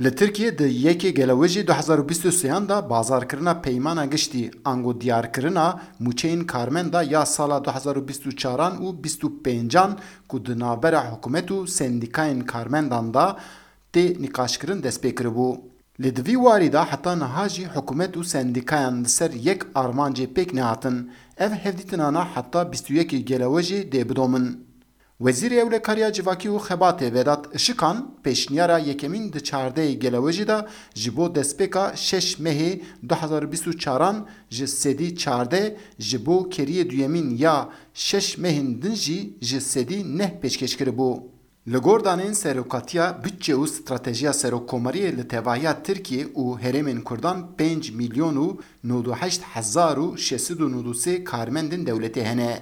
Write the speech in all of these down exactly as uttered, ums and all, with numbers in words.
Li Tirkiyê di yekê Gelewêjê du hezar û bîst û sêyan de bazarkirina peymana giştî, ango diyarkirina mûçeyên karmenda ya sala du hezar û bîst û çaran û bîst û pêncan ku di navbera hikûmet û sendîkayên karmendan de tê nîqaşkirin dest pê kiribû. Lê di vî warî de heta niha jî hikûmet û sendîkayan li ser yek armancê pêk nehatin. Ev hevdîtinana heta bîst û yekê Gelewêjê dê bidomin. Wezîrê Ewlekariya Civakî û Xebatê Vedat Işikan pêşniyara yekemîn di çardehê Gelewêjê de ji bo destpêka şeş mehê du hezar û bîst û çaran ji sedî çardeh, ji bo keriyê duyemîn ya şeş mehên din jî ji sedî neh pêşkêş kiribû. Li gor danên Serokatiya Budçe û Stratejiya Serokkomariyê li tevahiya Tirkiye û herêmên Kurdan pênc milyon û nod û heşt hezar û şeş sed û nod û sê karmendên dewletê hene.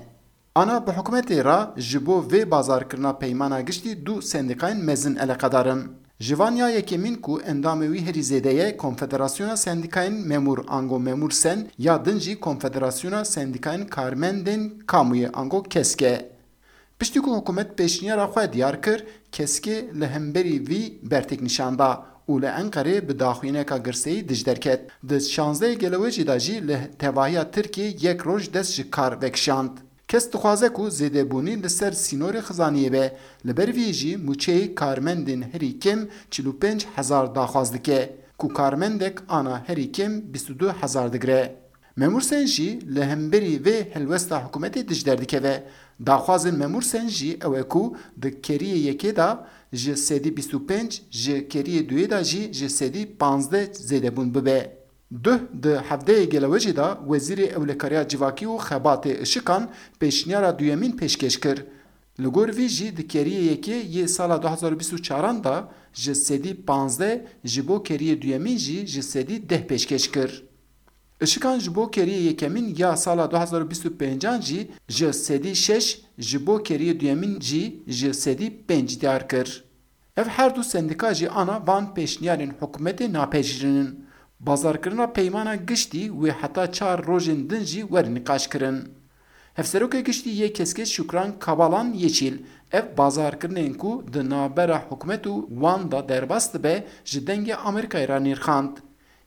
Ana bi hikûmetê re ji bo vê bazarkirina peymana giştî du sendîkayên mezin eleqedar in. Ji van ya yekemîn ku endamê wî herî zêde ye, Konfederasyona Sendîkayên Memûr ango Memûr Sen ya din jî Konfederasyona Sendîkayên Karmendên Kamûyê ango KESK e. Piştî ku hikûmet pêşniyara xwe diyar kir, KESKê li hemberî vî bertêk nîşan da û li Enqerê bi daxuyaniyeka girseyî dij derket. Di şazdehê Gelewêjê de jî li tevahiya Tirkiyê yek roj dest ji kar vekişand. KESK dixwaze ku zêdebûnî li ser sînorê xizaniyê be. Li ber vî jî mûçeyê karmendên herî kêm çil û pênc hezar daxwaz dike, ku karmendek ana herî kêm bîst û du hezar digire. Memûr Sen jî li hemberî vê helwesta hikûmetê dij derdikeve. Daxwazên Memûr Sen jî ew e ku di keriyê yekê de ji sedî bîst û pênc, ji keriyê duyê de jî ji sedî panzdeh zêdebûn bibe. Duh di hevdehê Gelewêjê de Wezîrê Ewlekariya Civakî û Xebatê Işikan pêşniyara duyemîn pêşkêş kir. Li gor vî jî di keriyê yekê yê sala du hezar û bîst û çaran de ji sedî panzdeh, ji bo keriyê duyemîn jî ji sedî deh pêşkêş kir. Işikan ji bo keriyê yekemîn ya sala du hezar û bîst û pêncan jî ji sedî şeş, ji bo keriyê duyemîn jî ji sedî pênc diyar kir. Ev her du sendîka jî ana van pêşniyarên hikûmetê napejirînin. Bazarkirina peymana giştî wê heta çar rojên din jî were nîqaşkirin. Hevserokê Giştî yê KESKê Şukran Kabalan Yeşîl ev bazarkirinên ku di navbera hikûmet û wan de derbas dibe ji Dengê Amerîkayê re nirxand.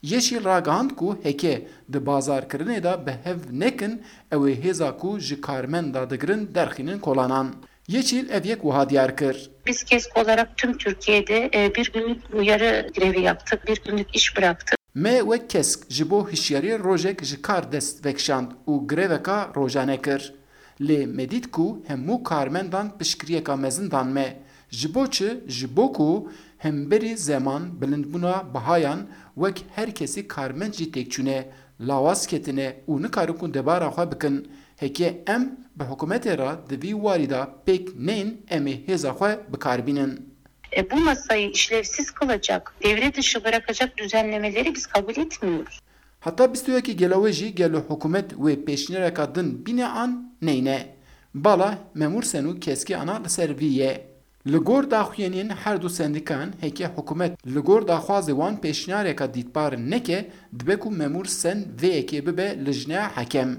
Yeşîl ragihand ku heke di bazarkirinê de bi hev nekin, ew ê hêza ku ji karmenda digirin derxînin kolanan. Yeşîl ev yek wiha diyar kir. Biz KESK olarak tüm Türkiye'de e, bir günlük uyarı grevi yaptık, bir günlük iş bıraktık. Me wek KESK ji bo hişyariyê rojek ji kar dest vekişand û greveka rojane kir. Lê me dît ku hemû karmendan piştgiriyeka mezin dan me. Ji bo çi? Ji bo ku hemberî zeman, bilindbûna bihayan, wek her kesî karmend jî têk çûne, lawaz ketine û nikarin ku debara xwe bikin. Heke em bi hikûmetê re di vî warî de pêk neyên, em ê hêza xwe bi kar bînin. E, bu masayı işlevsiz kılacak, devre dışı bırakacak düzenlemeleri biz kabul etmiyoruz. Heta bîst û yekê Gelewêjî gelo hikûmet wê pêşniyareka din bîne an neyne? Bala Memûr Sen û KESKê ana li ser vî ye. Li gor daxuyaniyên her du sendîkan, heke hikûmet li gor daxwazê wan pêşniyareka dîtbar neke, dibe ku Memûr Sen vê yekê bibe lijneya hekem.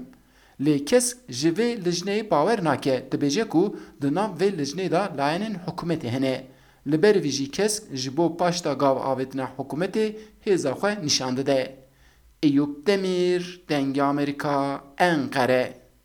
Lê KESK ji vê lijneyê bawer nake, dibêje ku di nav vê lijneyê de layenên hikûmetê hene. Li ber vî jî KESK ji bo paşda gav avêtina hikûmetê hêza xwe nîşan dide. Eyûp Demîr, Dengê Amerîka, Enqere.